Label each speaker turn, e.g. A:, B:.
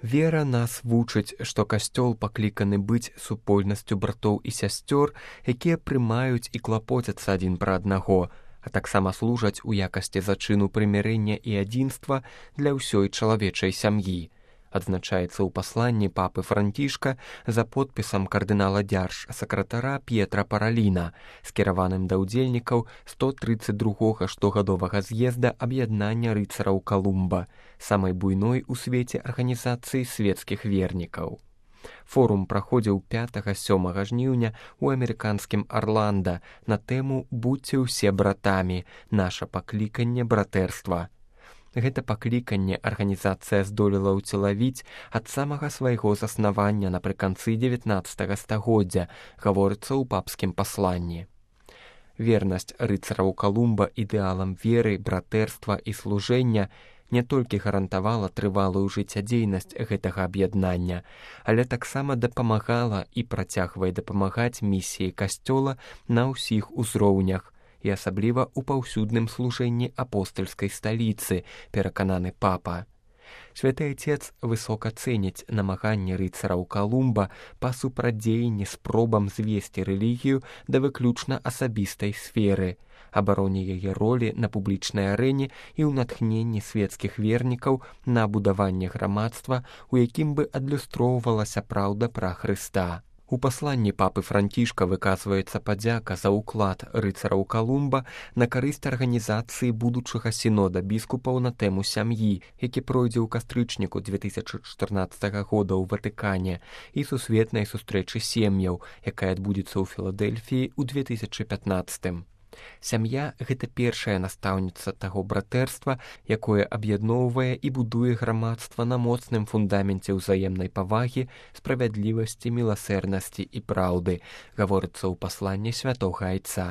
A: Вера нас вучыць, што касцёл пакліканы быць супольнасцю братоў і сясцёр, якія прымаюць і клапоцяцца адзін пра аднаго, а таксама служаць у якасці зачыну прымірэння і адзінства для ўсёй чалавечай сям'і. Адзначаецца ў пасланні папы Францішка за подпісам кардынала дзяржсакратара П'етра Параліна, скіраваным да ўдзельнікаў 132-го штогадовага з'езда аб'яднання рыцараў Калумба, самай буйной у свеце арганізацыі свецкіх вернікаў. Форум праходзіў 5-7 жніўня ў амерыканскім Арланда на тэму «Будьце ўсе братамі. Наша пакліканне братэрства». Гэта пакліканне арганізацыя здолела ўцелавіць ад самага свайго заснавання напрыканцы 19 стагоддзя, гаворыцца ў папскім пасланні. Вернасць рыцараў Калумба ідэалам веры, братэрства і служэння не толькі гарантавала трывалую жыццядзейнасць гэтага аб'яднання, але таксама дапамагала і працягвае дапамагаць місіі касцёла на ўсіх узроўнях, і асабліва ў паўсюдным служэнні апостальскай сталіцы, перакананы папа. Святы Отец высока цэніць намаганні рыцараў Калумба па супрадзеянні спробам звесці рэлігію да выключна асабістай сферы, абароне яе ролі на публічнай арэне і ў натхненні свецкіх вернікаў на будаванне грамадства, у якім бы адлюстроўвалася праўда пра Хрыста. У пасланні папы Францішка выказваецца падзяка за ўклад рыцараў Калумба на карысць арганізацыі будучага сінода біскупаў на тэму сям'і, які пройдзе ў кастрычніку 2014 года ў Ватыкане, і сусветнай сустрэчы сем'яў, якая адбудзецца ў Філадэльфіі ў 2015. Сям'я – гэта першая настаўніца таго братэрства, якое аб'ядноўвае і будуе грамадства на моцным фундаменце ўзаемнай павагі, справядлівасці, міласэрнасці і праўды, гаворыцца ў пасланні святога Айца.